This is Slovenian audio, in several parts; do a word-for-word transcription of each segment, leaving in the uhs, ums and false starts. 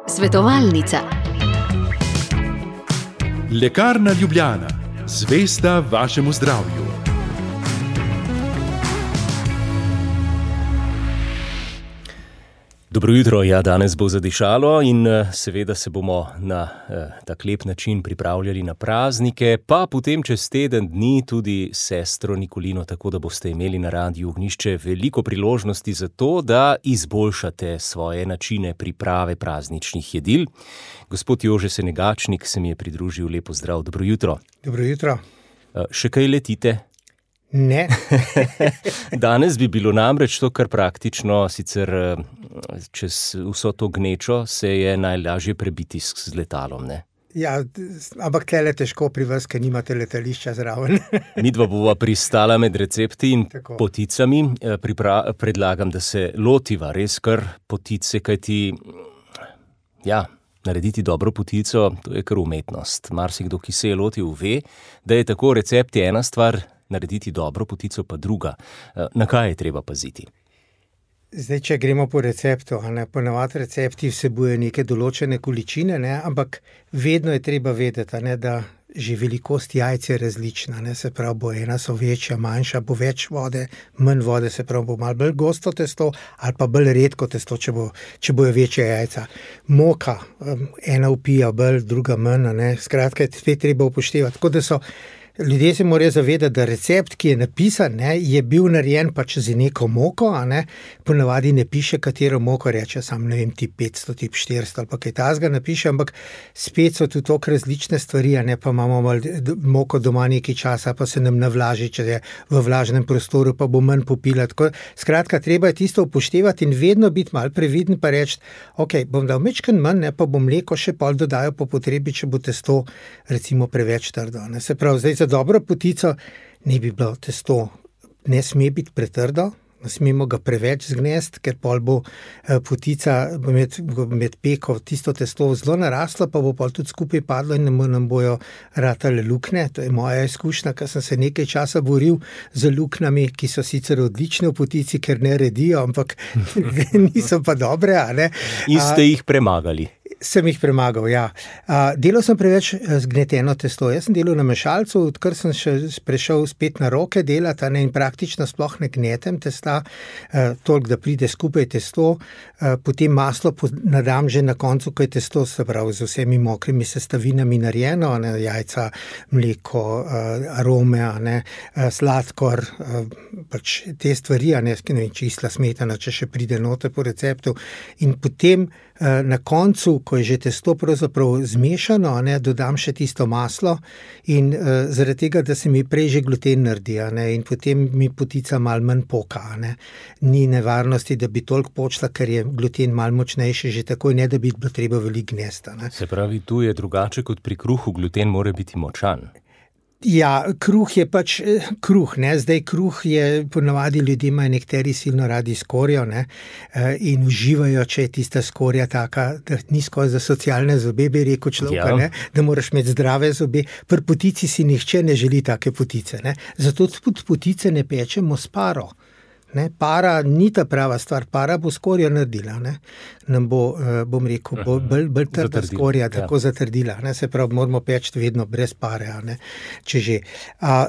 Svetovalnica. Lekarna Ljubljana, zvesta vašemu zdravju. Dobro jutro, ja, danes bo zadišalo in seveda se bomo na eh, tak lep način pripravljali na praznike, pa potem čez teden dni tudi sestro Nikolino, tako da boste imeli na Radiu Ognjišče veliko priložnosti za to, da izboljšate svoje načine priprave prazničnih jedil. Gospod Jože Senegačnik se mi je pridružil, lepo zdrav, dobro jutro. Dobro jutro. Eh, še kaj letite? Ne. Danes bi bilo namreč to kar praktično, sicer čez vso to gnečo se je najlažje prebiti z letalom, ne? Ja, ampak tlele težko pri vas, ker nimate letališča zraven. Midva bova pristala med recepti in Tako. poticami. Pripra- predlagam, da se lotiva res kar potice, kajti ja, narediti dobro potico, to je kar umetnost. Marsikdo, ki se je lotil, ve, da je tako recept je ena stvar, narediti dobro potico pa druga. Na kaj je treba paziti? Zdaj, če gremo po receptu, a ne, ponavadi recepti vsebuje neke določene količine, ne, ampak vedno je treba vedeti, a ne, da že velikost jajc je različna, ne, se pravi, bo ena so večja, manjša, bo več vode, manj vode, se pravi, bo malo bolj gosto testo ali pa bolj redko testo, če, bo, če bojo večja jajca. Moka, ena vpija bolj, druga manj, a ne, skratka, spet treba upoštevati, tako da so ljudje se morajo zavedati, da recept, ki je napisan, ne, je bil narejen pač z neko moko, a ne, ponavadi ne piše, katero moko reče, sam ne vem, tip petsto, tip štiristo ali pa kaj takega napiše, ampak spet so tudi toliko različne stvari, a ne, pa imamo malo moko doma nekaj časa, pa se nam navlaži, če je v vlažnem prostoru, pa bo manj popila, tako, skratka, treba je tisto upoštevati in vedno biti malo previden, pa reči, ok, bom dal mečken manj, ne, pa bom mleko še pol dodajal po potrebi, če bo testo recimo preveč trdo, ne, se pravi, zdaj za dobro potico ne bi bilo testo, ne sme biti pretrdo, ne smemo ga preveč zgnesti, ker pol bo potica med, med peko tisto testo zelo naraslo, pa bo pol tudi skupaj padlo in nam bojo ratale luknje. To je moja izkušnja, ker sem se nekaj časa boril z luknjami, ki so sicer odlične v potici, ker ne redijo, ampak niso pa dobre, a ne. In ste jih premagali? Sem jih premagal, ja. A, delal sem preveč zgneteno testo. Jaz sem delal na mešalcu, odkar sem še prešel spet na roke delati, a ne, in praktično sploh ne gnetem testa, a, toliko, da pride skupaj testo, a, potem maslo nadam že na koncu, ko je testo, se pravi, z vsemi mokrimi sestavinami narejeno, a ne, jajca, mleko, a, arome, a ne, a, sladkor, a, pač te stvari, a ne, ne vem, čisla smetana, če še pride noter po receptu. In potem a, na koncu, ko je že testo pravzaprav zmešano, a ne, dodam še tisto maslo in uh, zaradi tega, da se mi prej že gluten naredi, a ne, in potem mi potica malo manj poka, a ne. Ni nevarnosti, da bi toliko počla, ker je gluten malo močnejši že takoj, ne da bi bilo treba veliko gnesta, ne. Se pravi, tu je drugače kot pri kruhu, gluten mora biti močan. Ja, kruh je pač kruh, ne, zdaj kruh je, ponavadi ljudje imajo nekateri silno radi skorjo, ne, in uživajo, če je tista skorja taka, da ni skozi za socialne zobe, bi rekel človek, Ja. ne, da moraš imeti zdrave zobe. Pri potici si nihče ne želi take potice, ne, zato tudi potice ne pečemo s paro. Ne, para ni ta prava stvar, para bo skorjo naredila, ne, nam bo, bom rekel, bo bolj, bolj trda Zatrdila, skorja, ja. tako zatrdila, ne, se pravi, moramo peči vedno brez pare, a ne, če že. A,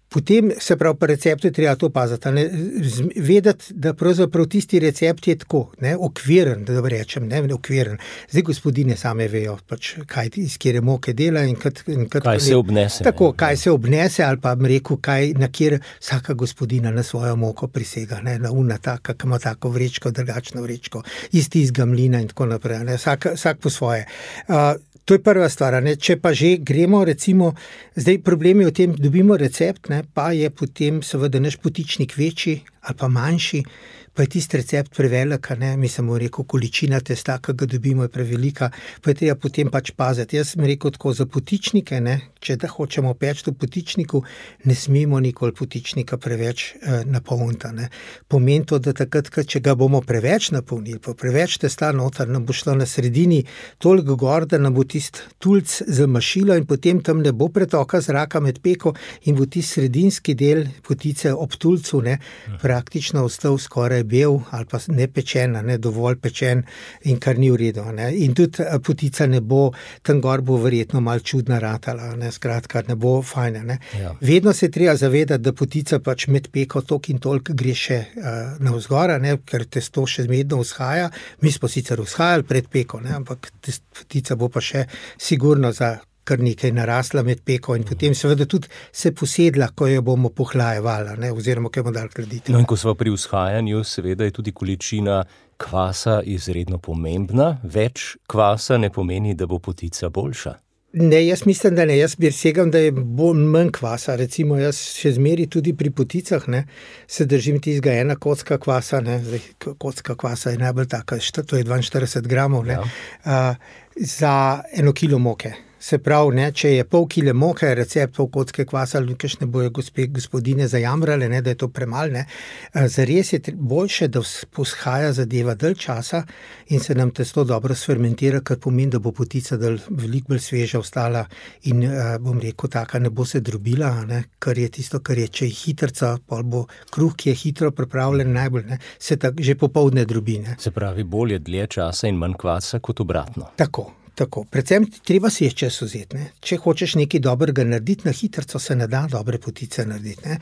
potem, se pravi, po receptu je treba to paziti, ne, z- vedeti, da pravzaprav tisti recept je tako, ne, okviren, da rečem, ne, okviren. Zdaj gospodine same vejo, pač, kaj iz kjere moke dela in kad, in kad Kaj se obnese, Tako, ne. kaj se obnese, ali pa bom rekel, kaj, na kjer vsaka gospodina na svojo moko prisega, ne, na una taka, ki ima tako vrečko, drugačno vrečko, iz tistega mlina in tako naprej, ne, vsak, vsak po svoje. Uh, To je prva stvar, ne. Če pa že gremo, recimo, zdaj problem je v tem, dobimo recept, ne, pa je potem seveda naš potičnik večji ali pa manjši, pa je tisti recept prevelik, a ne, mi samo rekel, količina testa, ki ga dobimo, je prevelika, pa je treba potem pač paziti. Jaz sem rekel tako, za potičnike, ne, če da hočemo peči v potičniku, ne smemo nikoli potičnika preveč eh, napolniti, ne. Pomeni to, da takrat, če ga bomo preveč napolnili, pa preveč testa noter, nam bo šlo na sredini toliko gor, da nam bo tisti tulc zamašilo in potem tam ne bo pretoka zraka med peko in bo tisti sredinski del potice ob tulcu, ne, praktično ostal skoraj bel ali pa ne pečen, ne dovolj pečen in kar ni v redu. Ne. In tudi potica ne bo, tam gor bo verjetno malo čudna ratala, ne, skratka ne bo fajna. Ne. Ja. Vedno se treba zavedati, da potica pač med peko tok in tolk gre še uh, navzgora, ne, ker testo še zmedno vzhaja. Mi smo sicer vzhajali pred peko, ne, ampak potica bo pa še sigurno za kar nekaj narasla med peko in potem seveda tudi se posedla, ko jo bomo pohlajevali, ne, oziroma ko jo bomo dali hladiti. No in ko smo pri vzhajanju, seveda je tudi količina kvasa izredno pomembna. Več kvasa ne pomeni, da bo potica boljša. Ne, jaz mislim, da ne. Jaz bi segam, da je bolj manj kvasa. Recimo, jaz še zmeri tudi pri poticah, ne, se držim tistega ena kocka kvasa, ne. Zdaj, kocka kvasa je najbolj taka, to je dvainštirideset gramov, ne, ja. uh, za eno kilo moke. Se pravi, ne, če je pol kile moke, recept pol kocke kvasa, kakšne bojo gospe, gospodine zajamrale, ne, da je to premalo, ne. Zares je boljše, da vzhaja zadeva dalj časa in se nam testo dobro sfermentira, kar pomeni, da bo potica dalj veliko bolj sveža ostala in bom rekel, taka ne bo se drobila, ne, kar je tisto, kar je, če je hitrca, pol bo kruh, ki je hitro pripravljen najbolj, ne, se tak že popoldne drobi, ne. Se pravi, bolje dlje časa in manj kvasa kot obratno. Tako. Tako, predvsem treba si je čas vzeti, ne. Če hočeš nekaj dobrega narediti, na hitrco se ne da dobre potice narediti, ne.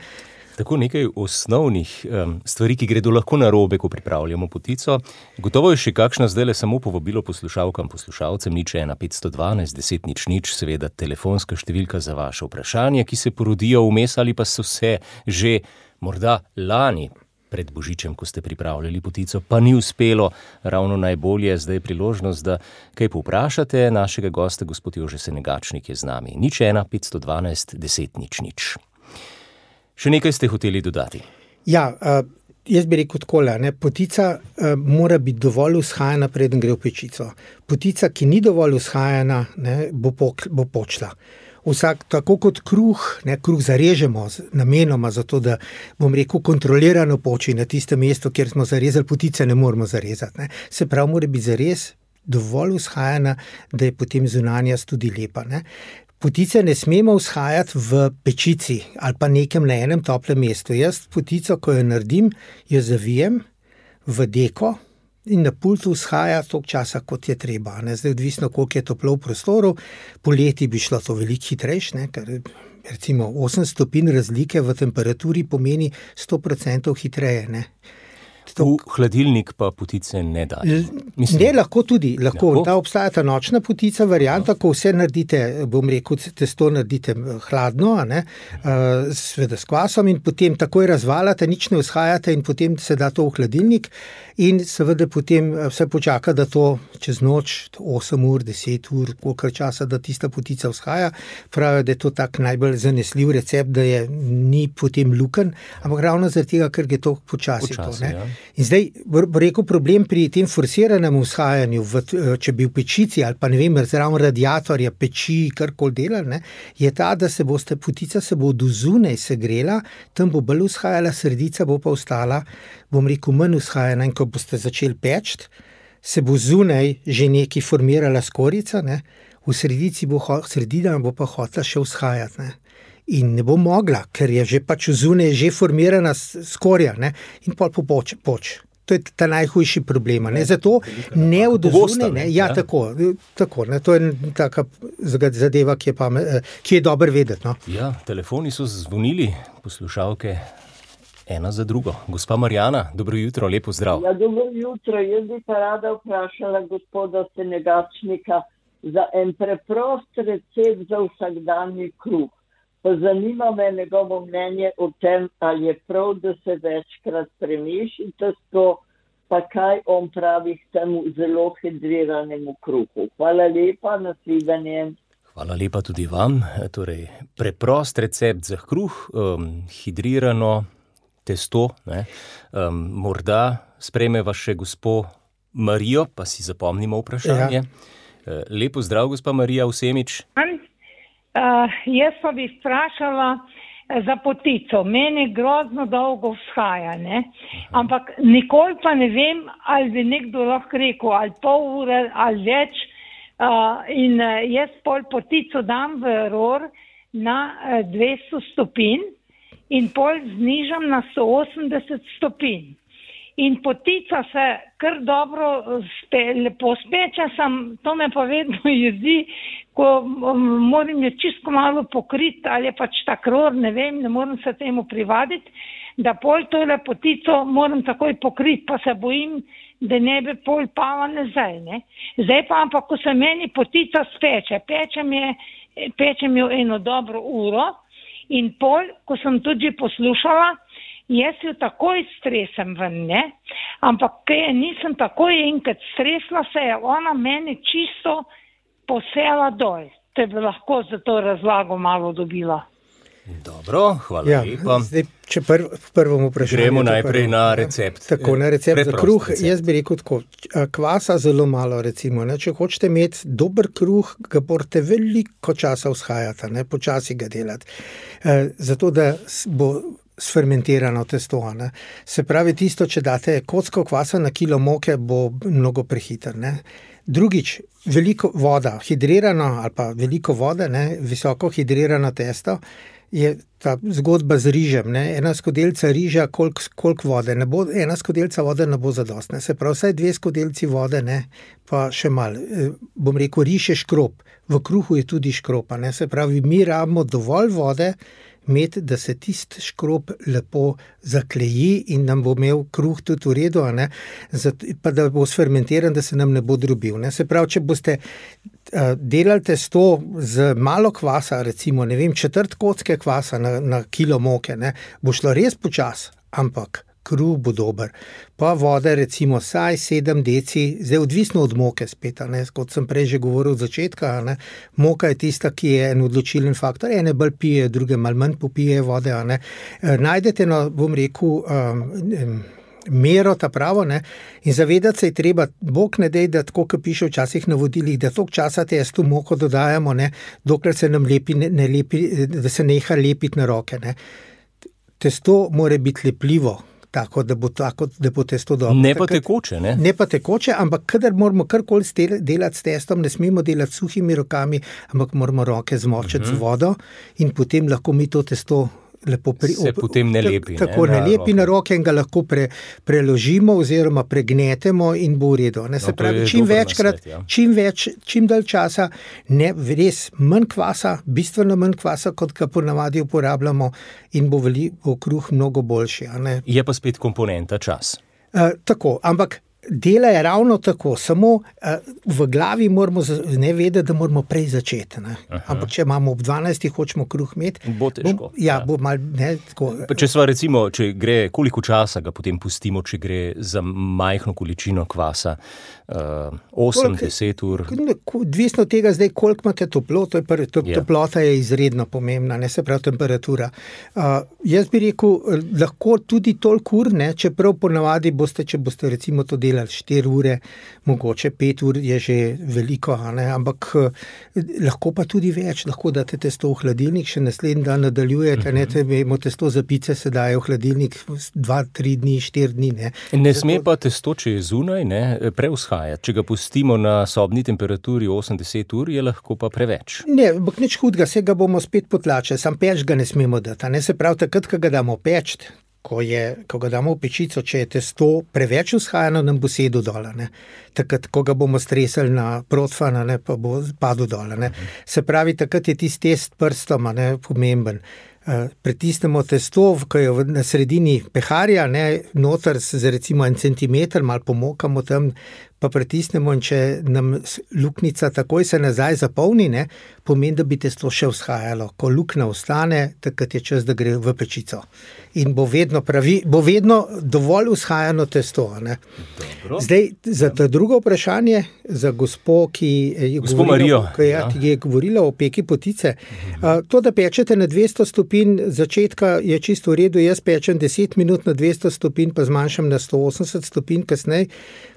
Tako nekaj osnovnih um, stvari, ki gredo lahko narobe, ko pripravljamo potico. Gotovo je še kakšna zdajle samo povabilo poslušalkam, poslušalcem, nič ena petsto dvanajst deset nič nič, seveda telefonska številka za vaše vprašanje, ki se porodijo vmes ali pa so se že morda lani pred Božičem, ko ste pripravljali potico, pa ni uspelo, ravno najbolje je zdaj priložnost, da kaj povprašate. Našega gosta, gospod Jože Senegačnik, je z nami. nič ena petsto dvanajst deset nič nič. Še nekaj ste hoteli dodati? Ja, uh, jaz bi rekel takole, ne, potica uh, mora biti dovolj vzhajana, preden gre v pečico. Potica, ki ni dovolj vzhajana, ne, bo, pok, bo počla. Vsak, tako kot kruh, ne, kruh zarežemo namenoma zato, da, bom rekel, kontrolirano poči na tistem mestu, kjer smo zarezali, potice ne moramo zarezati, ne. Se pravi, mora biti zares dovolj vzhajana, da je potem zunanjost tudi lepa, ne. Potice ne smemo vzhajati v pečici ali pa nekem na enem toplem mestu. Jaz potico, ko jo naredim, jo zavijem v deko in na pultu vzhaja toliko časa, kot je treba. Ne? Zdaj odvisno, koliko je toplo v prostoru. Poleti bi šlo to veliko hitrejš, ne? Ker recimo osem stopinj razlike v temperaturi pomeni sto procentov hitreje. Ne? V hladilnik pa potice ne dajo. Mislim, ne, lahko tudi. Lahko. Lahko? Ta obstaja ta nočna potica varianta, ko vse naredite, bom rekel, testo naredite hladno, a ne, uh, sveda s kvasom in potem takoj razvalate, nič ne vzhajate in potem se da to v hladilnik in seveda potem vse počaka, da to čez noč, osem ur, deset ur, kolikor časa, da tista potica vzhaja. Pravijo, da je to tak najbolj zanesljiv recept, da je ni potem luken, ampak ravno zaradi tega, ker je to počasi. Počasi, to, ne. ja. In zdaj, bo rekel, problem pri tem forsiranem vzhajanju, v, če bi v pečici ali pa ne vem, zraven radiatorja, peči, karkoli delali, ne, je ta, da se boste, potica se bo do zunaj segrela, tam bo bolj vzhajala, sredica bo pa ostala, bom rekel, manj vzhajana in ko boste začeli peči, se bo zunaj že nekaj formirala skorica, ne, v sredici bo, sredina bo pa hotela še vzhajati, ne. In ne bo mogla, ker je že pač zunaj že formirana skorja, ne, in pol popoč, poč. To je ta najhujši problem, ne, zato ne od zunaj, ne, ja, tako, tako, ne, to je taka zadeva, ki je, pa, ki je dobro vedeti, no. Ja, telefoni so zvonili, poslušalke, ena za drugo. Gospa Marjana, dobro jutro, lepo zdrav. Ja, dobro jutro, jaz bi pa rada vprašala gospoda Senegačnika za en preprost recept za vsakdanji kruh. Pa zanima me njegovo mnenje o tem, ali je prav, da se večkrat premeši testo, pa kaj on pravi k temu zelo hidriranemu kruhu. Hvala lepa, nasvidenje. Hvala lepa tudi vam. Torej, preprost recept za kruh, um, hidrirano testo, ne. Um, morda sprejmeva še gospo Marijo, pa si zapomnimo vprašanje. Ja. Lepo zdrav, gospa Marija Vsemič. Uh, jaz pa bi vprašala za potico. Meni grozno dolgo vzhaja, ne? Ampak nikoli pa ne vem, ali bi nekdo lahko rekel, ali pol ure, ali več. Uh, in uh, jaz pol potico dam v ror na uh, dvesto stopinj in pol znižam na sto osemdeset stopinj. In potica se kar dobro spe, lepo speče, sem, to me pa vedno jezi, ko um, moram je čisto malo pokriti, ali je pač ta kror, ne vem, ne moram se temu privaditi, da pol tole potico moram takoj pokriti, pa se bojim, da ne bi pol pala nazaj, ne. Zdaj pa ampak, ko se meni potica speče, pečem je, pečem jo eno dobro uro in pol, ko sem tudi poslušala, jaz jo takoj stresem ven, ne, ampak kaj nisem takoj enkrat stresla, se je ona meni čisto posela dol. To bi lahko za to razlago malo dobila. Dobro, hvala ja, lepa. Zdaj, če prv, prvom vprašanju. Gremo najprej prvo, na recept. Tako, na recept Preprost za kruh, recept. Jaz bi rekel tako, kvasa zelo malo recimo, ne? Če hočete imeti dober kruh, ga morate veliko časa vzhajati, ne? Počasi ga delati, e, zato da bo sfermentirano testo, ne? Se pravi tisto, če date kocko kvasa na kilo moke, bo mnogo prehiter, ne? Drugič, veliko voda, hidrirano ali pa veliko vode, ne? Visoko hidrirano testo, je ta zgodba z rižem, ne? Ena skodelica riža, koliko kolik vode, ne bo, ena skodelica vode ne bo zadostna, se pravi, vsaj dve skodelici vode, ne? Pa še malo, bom rekel, riž je škrob, v kruhu je tudi škropa, ne? Se pravi, mi rabimo dovolj vode imeti, da se tist škrob lepo zakleji in nam bo imel kruh tudi v redu, a ne? Zato, pa da bo sfermentiran, da se nam ne bo drobil, ne? Se pravi, če boste uh, delali testo z malo kvasa, recimo, ne vem, četrt kocke kvasa na, na kilo moke, ne? Bo šlo res počas, ampak kruh bo dober. Pa vode recimo saj sedem deci, zdaj odvisno od moke spet, ne, kot sem prej že govoril od začetka, ne, moka je tista, ki je en odločilen faktor, ene bolj pije, druge malo manj popije vode, ne. E, najdete, no, bom rekel, um, mero ta pravo, ne, in zavedati se je treba, Bog ne dej, da tako, kot piše včasih na vodilih, da toliko časa testu moko dodajamo, ne, dokler se nam lepi, ne, ne lepi, da se neha lepiti na roke, ne. Testo mora biti lepljivo, tako, da bo, tako, da bo testo dobro. Ne pa tekoče, ne? Ne pa tekoče, ampak kadar moramo karkoli delati s testom, ne smemo delati s suhimi rokami, ampak moramo roke zmočiti uh-huh. z vodo in potem lahko mi to testo lepo pri, se op, potem ne lepi. Tako ne, ne lepi na roke in ga lahko pre, preložimo oziroma pregnetemo in bo v redu. Ne, se no, pravi, čim večkrat, nasvet, ja. čim več, čim dalj časa, ne, res manj kvasa, bistveno manj kvasa, kot ga ponavadi uporabljamo in bo, veli, bo kruh mnogo boljši. A ne? Je pa spet komponenta čas. Uh, tako, ampak dela je ravno tako, samo uh, v glavi moramo ne vedeti, da moramo prej začeti. Ne? Ampak če imamo ob dvanajstih, hočemo kruh imeti, bo težko. Bom, ja, ja. Bo mal, ne, tako. Če sva recimo, če gre, koliko časa ga potem pustimo, če gre za majhno količino kvasa, uh, osem, deset ur? Odvisno od tega zdaj, koliko imate toplo, to je pr, to, ja. Toplota je izredno pomembna, ne se pravi temperatura. Uh, jaz bi rekel, lahko tudi toliko ur, ne, čeprav ponavadi boste, če boste recimo to delali štiri ure, mogoče pet ur je že veliko, ne? Ampak lahko pa tudi več, lahko date testo v hladilnik, še naslednji dan nadaljujete, ne, temo testo za pice se daje v hladilnik dva, tri dni, štiri dni, ne. Ne sme pa testo, če je zunaj, ne, preushajati. Če ga pustimo na sobni temperaturi osem do deset ur, je lahko pa preveč. Ne, ampak nič hudega, se ga bomo spet potlačili, sam peč ga ne smemo dati, ne, se pravi, takrat, ko ga damo peč, Ko, je, ko ga damo v pečico, če je testo preveč vzhajano, nam bo sedel dole. Ne. Takrat, ko ga bomo stresali na protfana, ne, pa bo padel dole. Ne. Se pravi, takrat je tisti test prstoma, ne, pomemben. Uh, pritisnemo testo, ko je na sredini peharja, ne, noter z recimo en centimeter, malo pomokamo tam, pa pritisnemo in če nam luknica takoj se nazaj zapolni, ne, pomeni, da bi testo še vzhajalo. Ko luknja ostane, takrat je čas, da gre v pečico. In bo vedno, pravi, bo vedno dovolj vzhajano testo. Ne. Zdaj, za to drugo vprašanje, za gospo, ki je, gospo govorila, Marijo, ki je, ja. ki je govorila o peki potice, uh, to, da pečete na dvesto stopinj, začetka je čisto v redu, jaz pečem deset minut na dvesto stopinj, pa zmanjšam na sto osemdeset stopinj kasneje,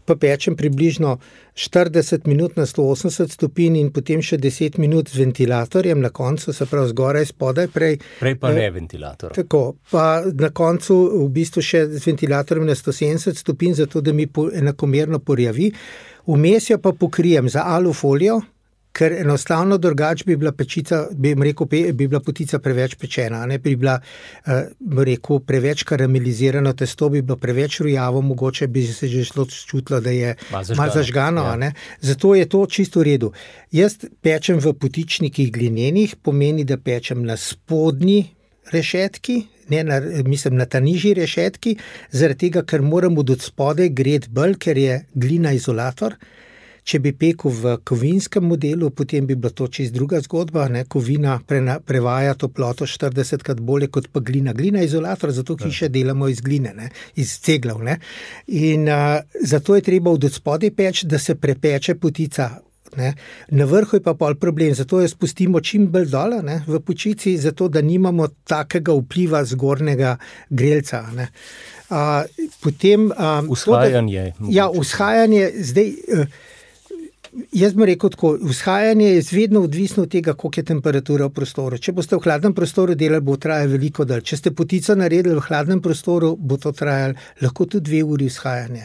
pa pečem približno štirideset minut na sto osemdeset stopinj in potem še deset minut z ventilatorjem na koncu, se pravi zgoraj, spodaj, prej. Prej pa ne ventilator. Tako, pa na koncu v bistvu še z ventilatorjem na sto sedemdeset stopinj, zato da mi po, enakomerno porjavi. Vmes jo pa pokrijem za alufolijo, ker enostavno drugače bi bila pečica, bi rekel, bi bila potica preveč pečena, ne bi bila, bi rekel, preveč karamelizirano testo, bi bilo preveč rujavo, mogoče bi se že šlo čutilo, da je malo zažgano, ja. Ne? Zato je to čisto v redu. Jaz pečem v potičnikih glinenih, pomeni, da pečem na spodnji rešetki, ne na, mislim na ta nižji rešetki, zaradi tega, ker moram od spodaj greti bolj, ker je glina izolator. Če bi pekel v kovinskem modelu, potem bi bila to čisto druga zgodba, ne? Kovina prena, prevaja toploto štiridesetkrat bolje kot pa glina. Glina je izolator, zato hiše delamo iz gline, ne? Iz ceglav. Ne? In uh, zato je treba od spodaj peč, da se prepeče potica. Ne? Na vrhu je pa pol problem, zato jo spustimo čim bolj dole, ne? V pečici, zato da nimamo takega vpliva zgornjega grelca. Ne? Uh, potem, um, vzhajanje. To, da, ja, vzhajanje, zdaj... Uh, Jaz bom rekel tako, vzhajanje je vedno odvisno od tega, koliko je temperatura v prostoru. Če boste v hladnem prostoru delali, bo trajalo veliko dalj. Če ste potico naredili v hladnem prostoru, bo to trajalo lahko tudi dve uri vzhajanje.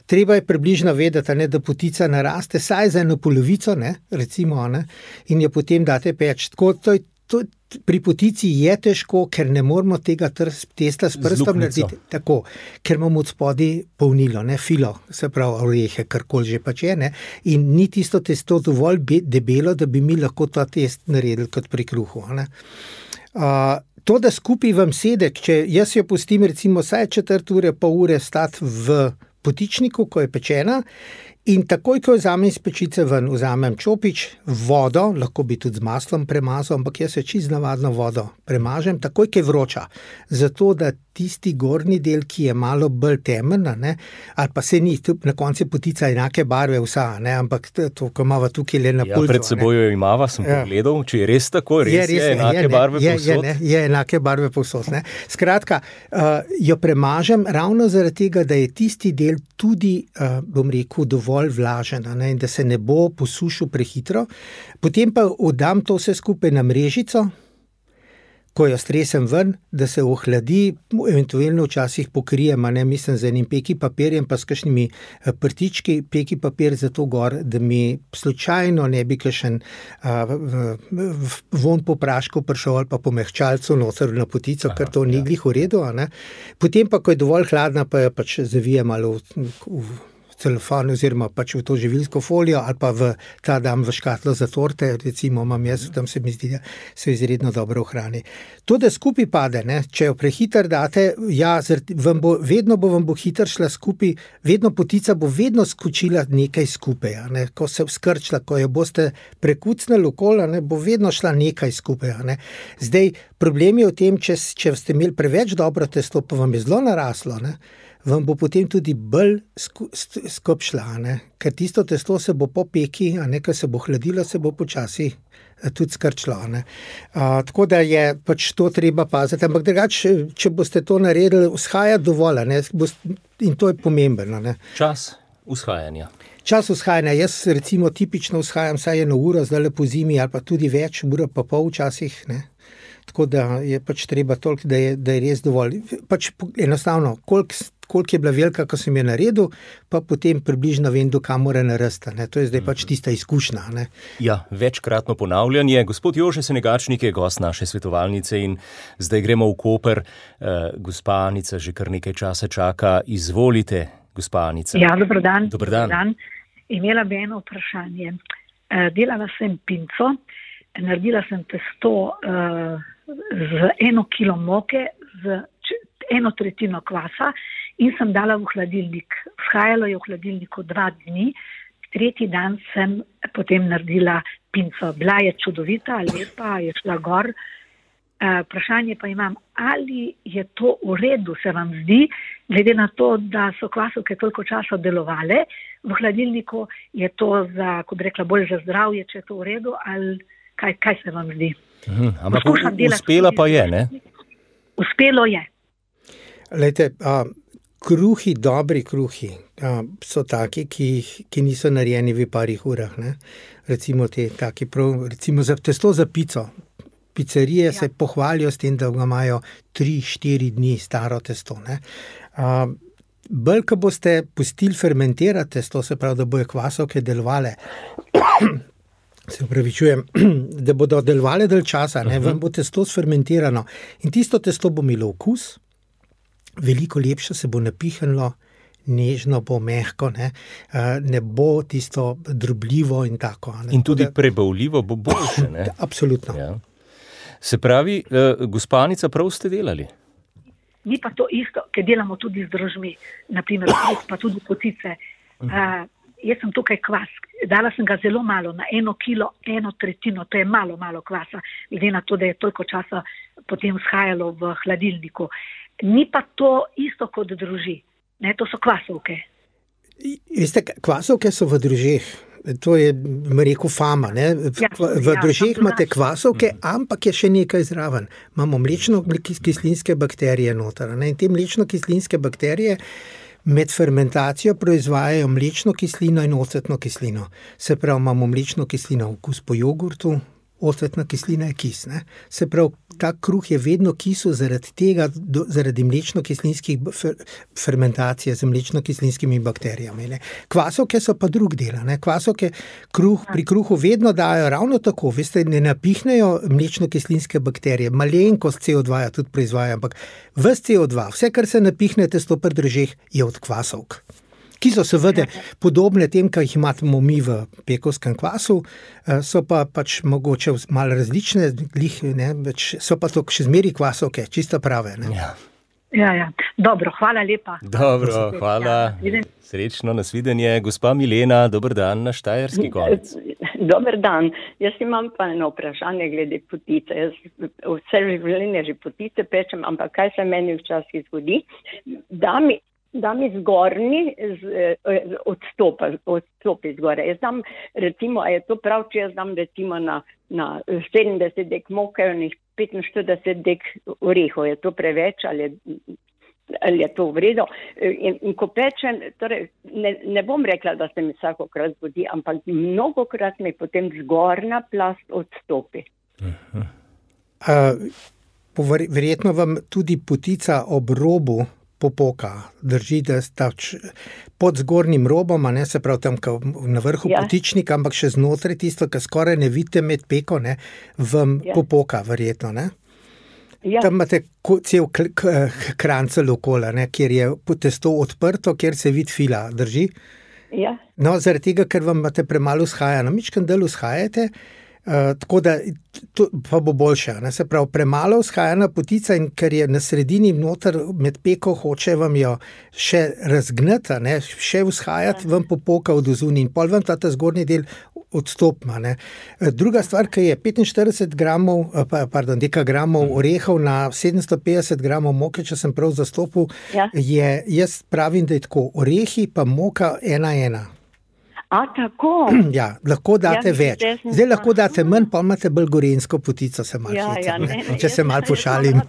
Treba je približno vedeti, ne, da potica naraste saj za eno polovico, ne, recimo, ne, in jo potem date peč. Tako, to je, to, pri potici je težko, ker ne moramo tega testa s prstom narediti tako, ker imamo od spodaj polnilo, ne, filo, se pravi orehe, karkoli že pač je, ne, in ni tisto testo dovolj debelo, da bi mi lahko ta test naredili kot pri kruhu, ne. Uh, to, da skupaj vam sede, če jaz jo pustim recimo vsaj četrt ure, pol ure stati v potičniku, ko je pečena, in takoj, ko jo vzamem iz pečice ven, vzamem čopič, vodo, lahko bi tudi z maslom premazal, ampak jaz se čisto navadno vodo premažem, takoj, ko je vroča, zato da tisti gornji del, ki je malo bolj temen, ne, ali pa se ni, na koncu potica enake barve vsa, ne, ampak to, ko imava tukaj le na ja, pulzu. Pred seboj jo imava, sem ja. pogledal, če je res tako, res je, res je, je enake je, barve je, povsod. Je, ne, je enake barve povsod, ne. Skratka, uh, jo premažem ravno zaradi tega, da je tisti del tudi, uh, bom rekel, dovolj vlažen, ne, in da se ne bo posušil prehitro. Potem pa oddam to vse skupaj na mrežico, ko jo stresem ven, da se ohladi, eventualno včasih pokrijem, ne, mislim z enim peki papirjem, pa s kakšnimi prtički, peki papir za to gor, da mi slučajno ne bi kakšen uh, von po prašku prišel ali pa po mehčalcu noter na potico, aha, ker to ni glih v redu. Ne. Potem pa, ko je dovolj hladna, pa jo pač zavijem ali v, v celofan oziroma pač v to živilsko folijo ali pa v ta dam v škatlo za torte, recimo imam jaz, tam se mi zdi, da se izredno dobro ohrani. To, da skupaj pade, ne, če jo prehiter date, ja, vam bo, vedno bo vam bo hiter šla skupaj, vedno potica bo vedno skočila nekaj skupaj, ne, ko se skrčila, ko jo boste prekucnili okoli, ne, bo vedno šla nekaj skupaj, ne. Zdaj, problem je v tem, če, če ste imeli preveč dobro testo, pa vam je zelo naraslo, ne, vam bo potem tudi bolj skopšla, ne? Ker tisto testo se bo po peki, a ne, ker se bo hladilo, se bo počasi tudi skrčilo. Ne? A, tako da je pač to treba paziti, ampak drugače, če boste to naredili, vzhaja dovolj, ne? In to je pomembno. Ne? Čas vzhajanja. Čas vzhajanja, jaz recimo tipično vzhajam vsaj eno uro, zdaj po zimi, ali pa tudi več, ura pa pol včasih, ne? Tako da je pač treba toliko, da je, da je res dovolj. Pač enostavno, koliko, koliko je bila velika, ko sem je naredil, pa potem približno vem, do kam mora narasti. To je zdaj pač tista izkušnja. Ne? Ja, večkratno ponavljanje. Gospod Jože Senegačnik je gost naše svetovalnice in zdaj gremo v Koper. Uh, gospa Anica že kar nekaj časa čaka. Izvolite, gospa Anica. Ja, dober dan. Dober dan. dan. Imela bi eno vprašanje. Uh, delala sem pinco, naredila sem testo uh, z eno kilo moke, z eno tretjino kvasa in sem dala v hladilnik. Vzhajalo je v hladilniku dva dni, tretji dan sem potem naredila pinco. Bila je čudovita, lepa, je šla gor. Uh, vprašanje pa imam, ali je to v redu, se vam zdi, glede na to, da so kvasovke toliko časa delovale v hladilniku, je to za, kot bi rekla, bolj za zdravje, če je to v redu, ali Kaj, kaj se vam zdi? Uhum, ampak uspela pa je, ne? Uspelo je. Lejte, a, kruhi, dobri kruhi a, so taki, ki, ki niso narejeni v parih urah. Ne? Recimo, te, taki prav, recimo za testo za pico. Pizzerije ja. se pohvalijo s tem, da ga imajo tri štiri dni staro testo. Ne? A, bolj, ko boste pustili fermentirati testo, se pravi, da bojo kvasovke delovale se upravičujem, da bodo delovale dalj časa, ne, vam bo testo sfermentirano in tisto testo bo imelo okus, veliko lepše se bo napihnilo, nežno bo mehko, ne, ne bo tisto drobljivo in tako. Ne. In tudi prebavljivo bo boljše, ne? Absolutno. Ja. Se pravi, gospanica, prav ste delali? Ni pa to isto, ker delamo tudi z drožmi, naprimer, pa tudi potice. Uh, jaz sem tukaj kvas, dala sem ga zelo malo, na eno kilo, eno tretjino, to je malo, malo kvasa, glede na to, da je toliko časa potem shajalo v hladilniku. Ni pa to isto kot droži, ne, to so kvasovke. Veste, kvasovke so v drožeh. To je, mi rekel, fama. Ne? V, v drožeh ja, imate kvasovke, ampak je še nekaj zraven. Imamo mlečno-kislinske bakterije noter. Ne? In te mlečno-kislinske bakterije med fermentacijo proizvajajo mlečno kislino in ocetno kislino. Se pravi, imamo mlečno kislino okus po jogurtu, ocetna kislina je kis. Ne? Se pravi, ta kruh je vedno kisel zaradi tega, do, zaradi mlečno-kislinskih fer, fermentacije z mlečno-kislinskimi bakterijami. Ne? Kvasovke so pa drug del. Ne? Kvasovke kruh, pri kruhu vedno dajo ravno tako, veste, ne napihnejo mlečno-kislinske bakterije, malenkost C O dva tudi proizvaja, ampak ves C O dva, vse, kar se napihne testo pri drožeh, je od kvasovk, ki so seveda podobne tem, kar jih imamo mi v pekovskem kvasu, so pa pač mogoče malo različne, ne, so pa to še zmeri kvasovke, čisto prave. Ne? Ja. Ja, ja. Dobro, hvala lepa. Dobro, hvala. Srečno, nasvidenje. Gospa Milena, dober dan na Štajerski konec. Dober dan. Jaz imam pa eno vprašanje glede potice. Jaz vse življenje že potice pečem, ampak kaj se meni včasih zgodi? Da mi da mi zgornji odstopa, odstopi zgore. Jaz dam, recimo, a je to prav, če jaz dam recimo na, na sedemdeset dek moke in petinštirideset dek orehov. Je to preveč ali je, ali je to v redu? In, in ko pečem, torej, ne, ne bom rekla, da se mi vsakokrat zgodi, ampak mnogokrat mi potem zgornja plast odstopi. Uh-huh. Uh, verjetno vam tudi potica ob robu popoka, drži, da sta pod zgornjim robom, ne, se pravi tam na vrhu ja. Potičnika, ampak še znotraj tisto, kar skoraj ne vidite med peko, ne, vam ja. Popoka verjetno, ne? Ja. Tam imate cel krancel okoli, ne, kjer je testo odprto, kjer se vidi fila, drži? Ja. No, zaradi tega, ker vam imate premalo vzhaja, na mičkem delu vzhajate, Uh, tako da to pa bo boljše. Ne? Se pravi, premalo vzhajana potica in ker je na sredini noter med peko, hoče vam jo še razgnati, ne? Še vzhajati, vam popoka od ozuni in pol vam ta zgornji del odstopma. Ne? Druga stvar, ki je petinštirideset gramov, pardon, dekagramov orehov na sedemsto petdeset gramov moke, če sem prav zastopil, ja. Je, jaz pravim, da je tako, orehi pa moka ena ena. A, tako? Ja, lahko date ja, več. Zdaj lahko date manj, pa imate bolj gorenjsko potico, se malo ja, ja, ne, ne, če se malo pošalim.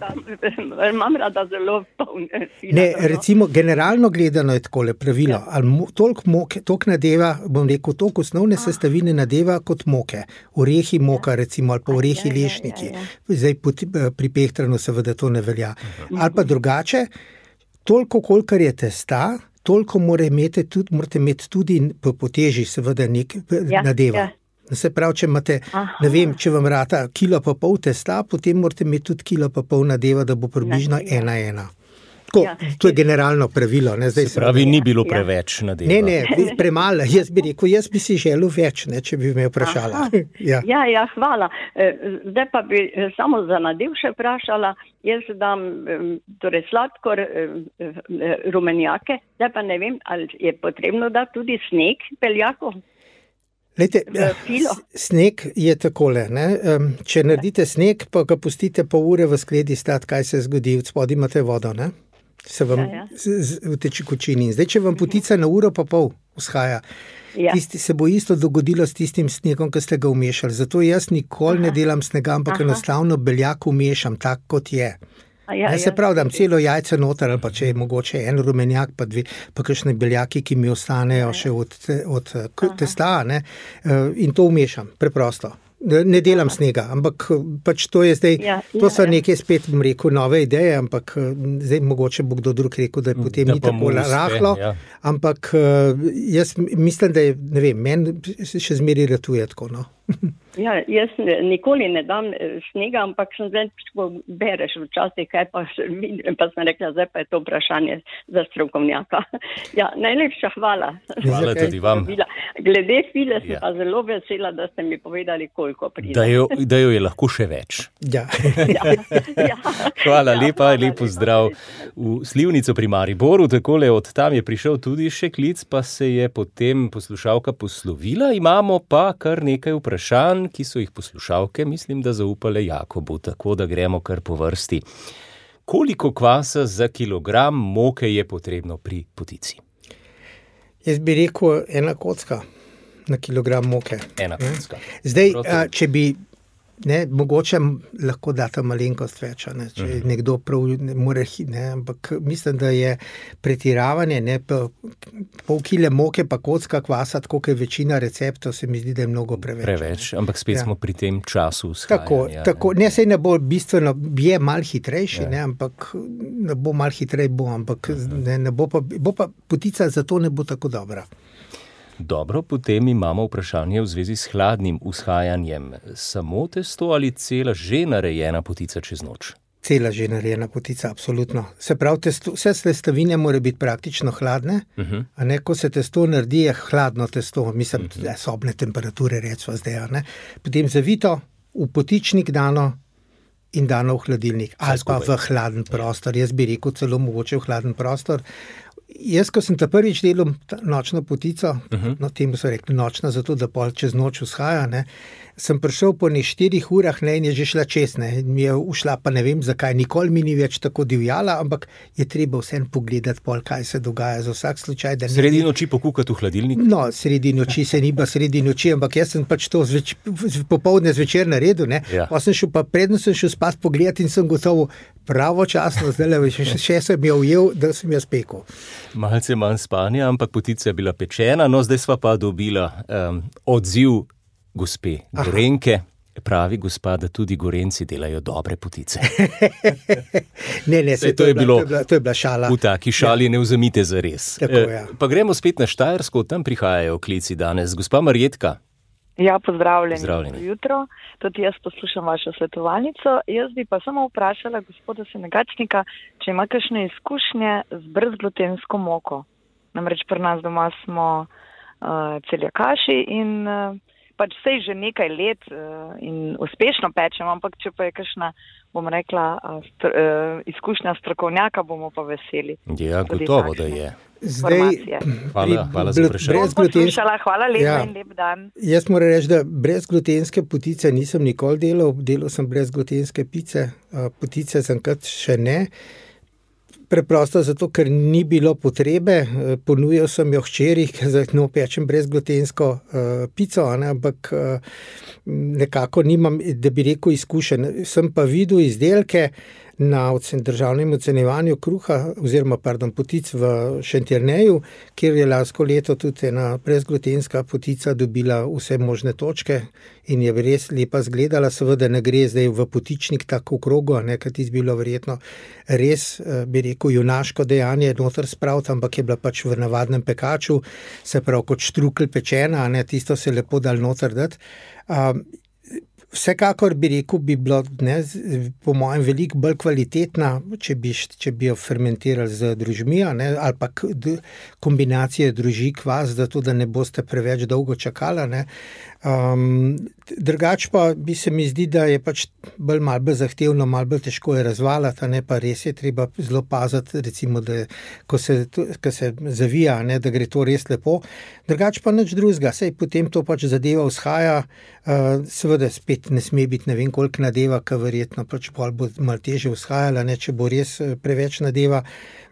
Imam rada zelo polne fila. Ne, recimo, generalno gledano je takole pravilo, ja. Ali toliko moke, toliko nadeva, bom rekel, toliko osnovne ah. sestavine nadeva kot moke. Orehi moka, recimo, ali pa orehi ja, lešniki. Ja, ja, ja. Zdaj pri pehtranu seveda to ne velja. Uh-huh. Ali pa drugače, toliko, kolikor je testa, toliko morate imeti tudi, morate imeti tudi po, po teži seveda nek ja, nadeva. Ja. Se pravi, če imate, Aha. ne vem, če vam rata kilo pa pol testa, potem morate imeti tudi kilo pa pol nadeva, da bo približno ja, ena ena. Tako, ja. To je generalno pravilo. Ne? Zdaj se pravi, ni bilo preveč nadeva. Ne, ne, premalo. Jaz bi rekel, jaz bi si želel več, ne, če bi me vprašala. ja. ja, ja, hvala. Zdaj pa bi samo za nadev še vprašala. Jaz dam torej sladkor, rumenjake, zdaj pa ne vem, ali je potrebno dati tudi sneg beljakov? Lejte, sneg je takole, ne? Če naredite sneg, pa ga pustite pol ure v skledi stati, kaj se zgodi, od spodaj imate vodo, ne? Se vam ja, ja. Z, z, v tekočini. Zdaj, če vam potica na uro pa pol vzhaja, ja. Tisti se bo isto dogodilo s tistim snegom, ki ste ga umešali. Zato jaz nikoli Aha. Ne delam snega, ampak Aha. Enostavno beljak umešam, tak kot je. Ja, ne, se pravi, dam celo jajce noter, ali pa če je mogoče en rumenjak, pa dve, pa kakšne beljaki, ki mi ostanejo ja, ja. Še od, od testa, ne, in to umešam, preprosto. ne delam snega, ampak pač to je zdaj, Ja, to ja, so ja. neke spet, bom rekel, nove ideje, ampak zdaj mogoče bo kdo drug rekel, da je potem Da ni pa tako mu uspe, rahlo, ja. ampak eh, jaz mislim, da je, ne vem, meni še zmeri ratuje tako, no. Ja, jaz ne- nikoli ne dam eh, snega, ampak sem zdaj, ko bereš včasih, kaj pa še vidim, pa sem rekla, zdaj pa je to vprašanje za strokovnjaka. Ja, najlepša hvala. Hvala Zakaj? tudi vam, Glede file sem Ja. pa zelo vesela, da ste mi povedali, koliko pride. da jo, da jo je lahko še več. Ja. Ja, ja. Hvala Ja, lepa, hvala lep lepa. pozdrav v Slivnico pri Mariboru. Takole od tam je prišel tudi še klic, pa se je potem poslušalka poslovila. Imamo pa kar nekaj vprašanj, ki so jih poslušalke, mislim, da zaupale Jakobu, tako da gremo kar po vrsti. Koliko kvasa za kilogram moke je potrebno pri potici? Jaz bi rekel ena kocka na kilogram moke. Ena kocka. Zdaj, Prav to. a, če bi, ne, mogoče m- lahko data malenkost več, a ne, če Mhm. nekdo prav ne more, hi- ne, ampak mislim, da je pretiravanje, ne, pa pol kile moke pa kocka kvasa, tako kot je večina receptov, se mi zdi, da je mnogo preveč. Preveč, ampak spet Ja. smo pri tem času Tako, vzhajanja. tako, ne, sej ne bo bistveno, je mal hitrejši, Ja. ne, ampak ne bo mal hitrej, bo, ampak ne, ne bo pa, bo pa potica zato ne bo tako dobra. Dobro, potem imamo vprašanje v zvezi s hladnim vzhajanjem. Samo testo ali cela že narejena potica čez noč? Cela že narejena potica, absolutno. Se pravi, testo, vse sestavine mora biti praktično hladne, Uh-huh. a ne, ko se testo naredi, je hladno testo, mislim, uh-huh. sobne temperature, recimo zdaj, a ne. Potem zavito, v potičnik dano in dano v hladilnik, ali pa skupaj. v hladen prostor. Jaz bi rekel celo mogoče v hladen prostor. Jaz, ko sem ta prvič delal ta nočno potico, uh-huh. no, temu so rekli nočna, zato da pol čez noč vzhaja, ne, sem prišel po ne štirih urah, ne, in je že šla čez, ne, in mi je ušla, pa ne vem zakaj, nikoli mi ni več tako divjala, ampak je treba vseeno pogledati pol, kaj se dogaja za vsak slučaj, da ne Sredi noči pokukati v hladilnik? No, sredi noči se ni pa sredi noči, ampak jaz sem pač to zveč, popovdne zvečer naredil, ne. Ja. Pa sem šel, pa predno sem šel spat pogledat in sem gotovo pravočasno, zdaj še, še sem jo ujel, da sem jo spekel. Malce manj spanja, ampak potica je bila pečena, no zdaj sva pa dobila um, odziv gospe Gorenke. Pravi gospa, da tudi Gorenci delajo dobre potice. Ne, ne, Saj se, to to, je je bila, bilo- to, je bila, to je bila šala. V taki šali ne vzemite za res. Tako, ja. Pa gremo spet na Štajersko, od tam prihajajo klici danes. Gospa Marjetka. Ja, pozdravljeni. Pozdravljeni. Dobro jutro. Tudi jaz poslušam vašo svetovalnico. Jaz bi pa samo vprašala gospoda Senegačnika, če ima kakšne izkušnje z brezglutensko moko. Namreč pri nas doma smo uh, celjakaši in uh, pač sej že nekaj let uh, in uspešno pečemo, ampak če pa je kakšna, bom rekla, uh, str, uh, izkušnja strokovnjaka, bomo pa veseli. Ja, Tudi gotovo, takšne da je. Zdaj, informacije. Hvala, hvala za bl- vprašanje. Bom brezglutensko- poslušala, hvala lepa Ja. in lep dan. Jaz moram reči, da brezglutenske potice nisem nikoli delal, delal sem brezglutenske pice, a, potice zaenkrat še ne. Preprosto zato, ker ni bilo potrebe, eh, ponujal sem jo hčeri, ker za njo pečem brezglutensko uh, pico, a ne, ampak uh, nekako nimam, da bi rekel, izkušen. Sem pa videl izdelke na ocen, državnem ocenjevanju kruha, oziroma pardon, potic v Šentjerneju, kjer je lansko leto tudi ena brezglutenska potica dobila vse možne točke in je res lepa zgledala. Seveda ne gre zdaj v potičnik tako v krogu, a ne, ker ti bi bilo verjetno res, eh, bi rekel, junaško dejanje noter spraviti, ampak je bila pač v navadnem pekaču, se pravi kot štrukelj pečena, a ne, tisto se lepo dal noter dati. Um, Vsekakor bi rekel, bi bilo, ne, z- po mojem veliko bolj kvalitetna, če bi, š- če bi jo fermentirali z drožmi, a ne, ali pa k- d- kombinacije drožji kvas, zato da ne boste preveč dolgo čakali, ne. Um, drugač pa bi se mi zdi, da je pač bolj malo bolj zahtevno, malo bolj težko je razvaliti, a ne, pa res je treba zelo paziti, recimo, da ko se, to- ko se zavija, a ne, da gre to res lepo. Drugač pa nič drugega, sej potem to pač zadeva vzhaja, uh, seveda spet ne sme biti ne vem koliko nadeva, ker verjetno pač pol bo malo težje vzhajala, ne, če bo res eh, preveč nadeva.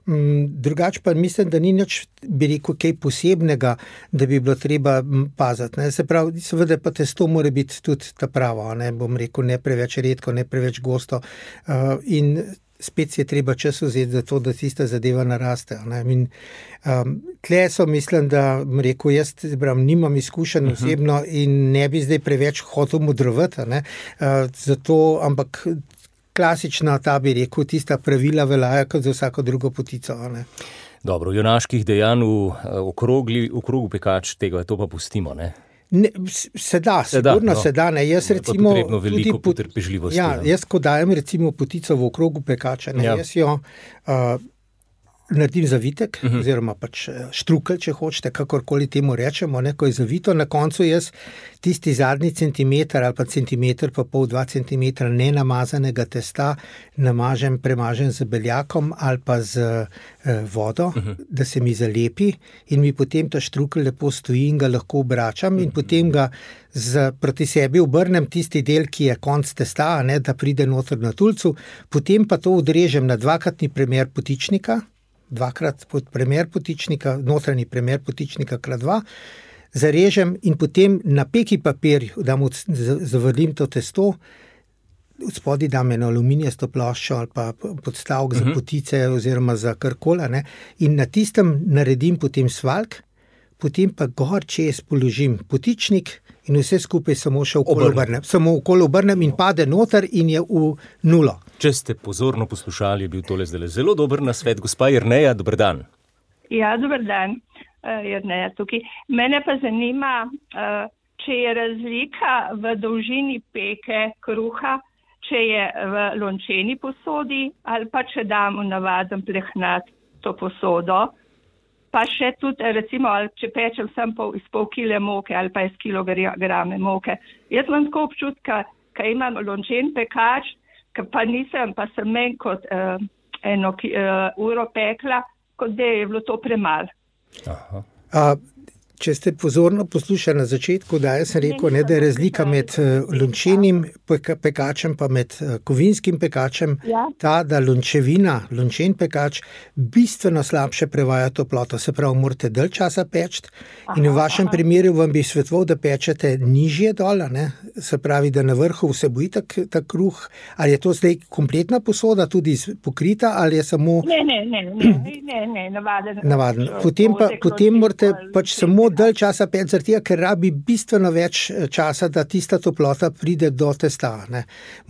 Mm, Drugač pa mislim, da ni nič, bi rekel, kaj posebnega, da bi bilo treba mm, paziti, ne. Se pravi, seveda pa testo mora biti tudi ta pravo, a ne, bom rekel, ne preveč redko, ne preveč gosto. Uh, in spet si je treba čas vzeti za to, da tista zadeva naraste. Ne. In, um, tle so, mislim, da rekel, jaz bram, nimam izkušenj uh-huh. osebno in ne bi zdaj preveč hotel modrovati, ne. Uh, zato, ampak klasična, ta bi rekel, tista pravila veljajo kot za vsako drugo potico. Ne. Dobro, junaških dejanj v okrogli, v krogu pekač, tega to pa pustimo, ne? Ne, se da, sigurno se da. Ne. Jaz je recimo, pa potrebno veliko tudi, potrpežljivosti. Ja, jaz ko dajem recimo potico v okrogu pekača, ne, ja. jaz jo uh, naredim zavitek, uh-huh. oziroma pač štrukelj, če hočete, kakorkoli temu rečemo, ne, ko je zavito, na koncu jaz tisti zadnji centimeter ali pa centimeter pa pol, dva centimetra nenamazanega testa namažem, premažem z beljakom ali pa z eh, vodo, uh-huh. da se mi zalepi in mi potem ta štrukelj lepo stoji in ga lahko obračam uh-huh. in potem ga z, proti sebi obrnem tisti del, ki je konc testa, ne, da pride noter na tulcu, potem pa to odrežem na dvakratni premer potičnika, dvakrat pod premer potičnika, notranji premer potičnika krat dva, zarežem in potem na peki papir dam, zavrlim to testo, spodaj dam eno aluminijasto ploščo ali pa podstavek uh-huh. za potice oziroma za karkola, ne, in na tistem naredim potem svaljk, potem pa gor čez položim potičnik in vse skupaj samo še okolo obrnem. Samo okolo obrnem in pade noter in je v nulo. Če ste pozorno poslušali, je bil tole zdaj zelo dober nasvet. Gospa Jerneja, dober dan. Ja, dober dan, uh, Jerneja tukaj. Mene pa zanima, uh, če je razlika v dolžini peke kruha, če je v lončeni posodi ali pa če dam v navaden plehnat to posodo. Pa še tudi, recimo, če pečem sem pol, iz pol kile moke ali pa iz kilograme moke. Jaz imam tako občutka, ko imam lončen pekač, ko pa nisem, pa sem menj kot uh, eno uh, uro pekla, kot da je bilo to premalo. Aha. A, če ste pozorno poslušali na začetku, da jaz sem rekel, ne, da je razlika med lončenim pekačem pa med kovinskim pekačem, ja. Ta, da lončevina, lončen pekač bistveno slabše prevaja toploto, se pravi, morate dalj časa peči in v vašem aha. primeru vam bi svetoval, da pečete nižje dol, ne? Se pravi, da na vrhu vseboji ta, ta kruh, ali je to zdaj kompletna posoda tudi pokrita, ali je samo... Ne, ne, ne, ne, ne, ne navaden. Navaden. Potem pa, potem morate pač samo dalj časa peči, zaradi tega, ker rabi bistveno več časa, da tista toplota pride do testa. Ne.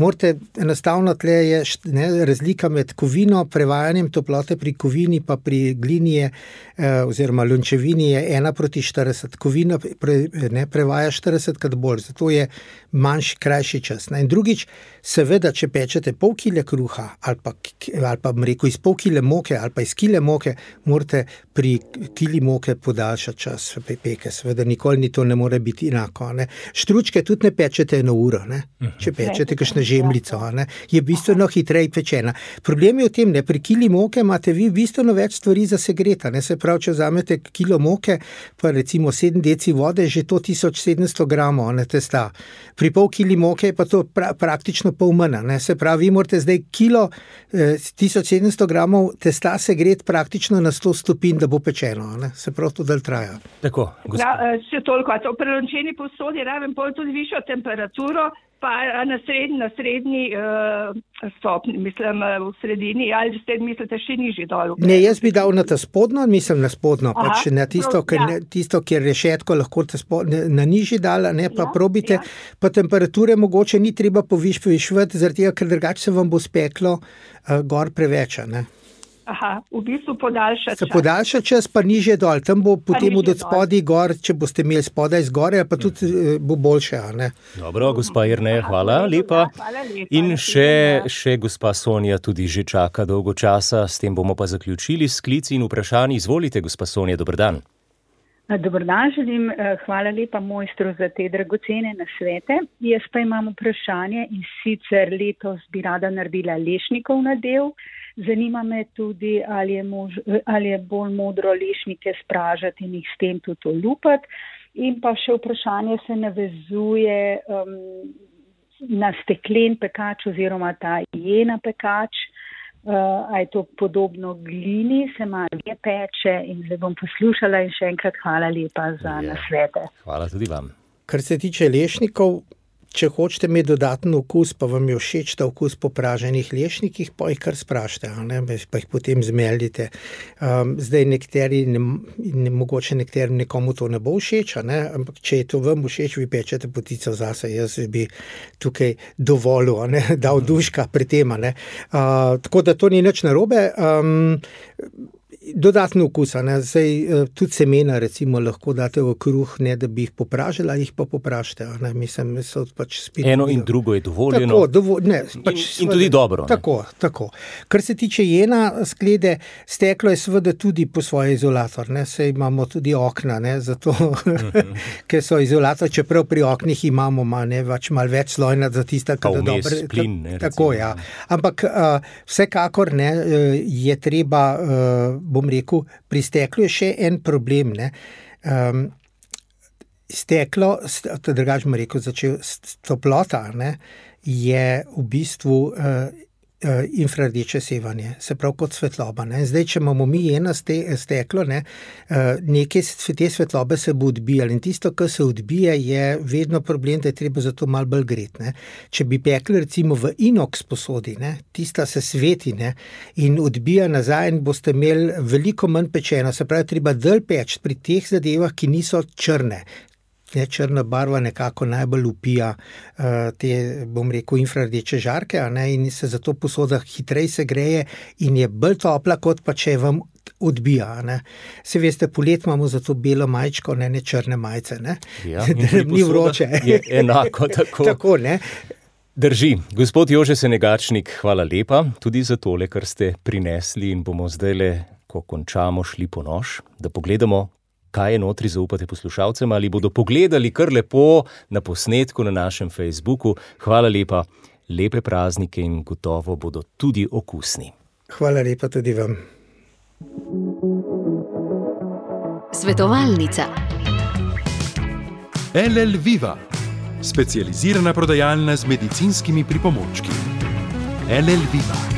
Morate, enostavno tle je ne, razlika med kovino, prevajanjem toplote pri kovini pa pri glini je, eh, oziroma lončevini je ena proti štirideset. Kovina pre, ne, prevaja štiridesetkrat bolj, zato je manjši, krajši čas. Ne. In drugič, seveda, če pečete pol kile kruha ali pa, ali pa rekel, iz pol kile moke ali pa iz kile moke, morate pri kili moke podaljšati čas peke, seveda nikoli ni to ne more biti enako. Ne. Štručke tudi ne pečete eno uro, ne. Če pečete kakšno žemljico, ne, je bistveno hitreje pečena. Problem je v tem, ne, pri kili moke imate vi bistveno več stvari za segreta, ne, se pravi, če vzamete kilo moke, pa recimo sedem deci vode, že to tisoč sedemsto gramov, ne, testa. Pri pol kili moke je pa to pra, praktično pol manj, ne, se pravi, vi morate zdaj kilo eh, tisoč sedemsto gramov testa segreti praktično na sto stopinj, da bo pečeno, ne, se pravi, to dalj traja. Tako, ja, še toliko, a to pri lončeni posodi rabim pol tudi višjo temperaturo, pa na srednji, na srednji uh, stopni, mislim v sredini, ali ste mislite še nižji dol? Ne, jaz bi dal na ta spodno, mislim na spodno, Aha, pač na tisto, ker, ja. tisto, kjer rešetko lahko spodno, na nižji dal, ne, pa ja, probite, ja. Pa temperature mogoče ni treba poviš, povišvati, zaradi tega, ker drugače se vam bo speklo uh, gor preveč, ne. Aha, v bistvu podaljša čas. Se podaljša čas, pa nižje dol. Tam bo potem od spodaj gor, če boste imeli spodaj zgore, pa tudi hmm. bo boljše, a ne? Dobro, gospa Jerneja, hvala lepa. Hvala lepa. In še, še gospa Sonja tudi že čaka dolgo časa, s tem bomo pa zaključili s klici in vprašanji. Izvolite, gospa Sonja, dober dan. Dober dan, želim, hvala lepa mojstru za te dragocene nasvete. Jaz pa imam vprašanje in sicer letos bi rada naredila lešnikov nadev. Zanima me tudi, ali je, mož, ali je bolj modro lešnike spražati in jih s tem tudi olupati. In pa še vprašanje se navezuje um, na steklen pekač oziroma ta jena pekač. Uh, a je to podobno glini, se malo je peče in zdaj bom poslušala in še enkrat hvala lepa za ja. nasvete. Hvala tudi vam. Kar se tiče lešnikov, če hočete imeti dodaten okus, pa vam je všeč ta okus po praženih lešnikih, pa jih kar sprašite, a ne, pa jih potem zmeljite. Um, zdaj nekateri, ne, ne, mogoče nekaterim nekomu to ne bo všeč, a ne, ampak če je to vam všeč, vi pečete potico zase, jaz bi tukaj dovolil, a ne, dal duška pri tem, a ne. Uh, tako da to ni nič narobe. Um, Dodatno okusa, ne, zdaj tudi semena recimo lahko date v kruh, ne da bi jih popražili, ali jih pa popražite, ne, mislim, so pač spet... Eno in drugo je dovoljeno. Tako, dovo, ne, pač in, svede, in tudi dobro. Tako, ne. tako. Kar se tiče jena sklede, steklo je seveda tudi po svoje izolator, ne, saj imamo tudi okna, ne, zato, mm-hmm. ker so izolator, čeprav pri oknih imamo, ma, ne, pač malo več slojna za tista, kada dobro... plin, ne, tako, ja. Ampak uh, vsekakor, ne, je treba... Uh, bom rekel, pri steklu je še en problem, ne. Um, steklo, to drugače bom rekel, začel, toplota, ne, je v bistvu uh, uh, infrardeče sevanje, se pravi kot svetloba, ne. Zdaj, če imamo mi eno ste, steklo, ne, uh, nekaj te svetlobe se bo odbijali in tisto, kar se odbije, je vedno problem, da je treba za to malo bolj gret, ne. Če bi pekli recimo v inox posodi, ne, tista se sveti, ne, in odbija nazaj in boste imeli veliko manj pečeno, se pravi, treba dlje peči pri teh zadevah, ki niso črne. Ne, črna barva nekako najbolj upija uh, te, bom rekel, infrardeče žarke, a ne, in se zato posoda hitreje se greje in je bolj topla, kot pa če vam odbija, ne. Se veste, polet imamo zato belo majčko, ne, ne črne majce, ne. Ja, da ni vroče. Je enako tako. Tako, ne. Drži. Gospod Jože Senegačnik, hvala lepa tudi za tole, kar ste prinesli in bomo zdajle, ko končamo, šli po nož, da pogledamo, kaj je notri, zaupate poslušalcem, ali bodo pogledali kar lepo na posnetku na našem Facebooku. Hvala lepa, lepe praznike in gotovo bodo tudi okusni. Hvala lepa tudi vam. Svetovalnica. L L Viva, specializirana prodajalna z medicinskimi pripomočki. L L Viva.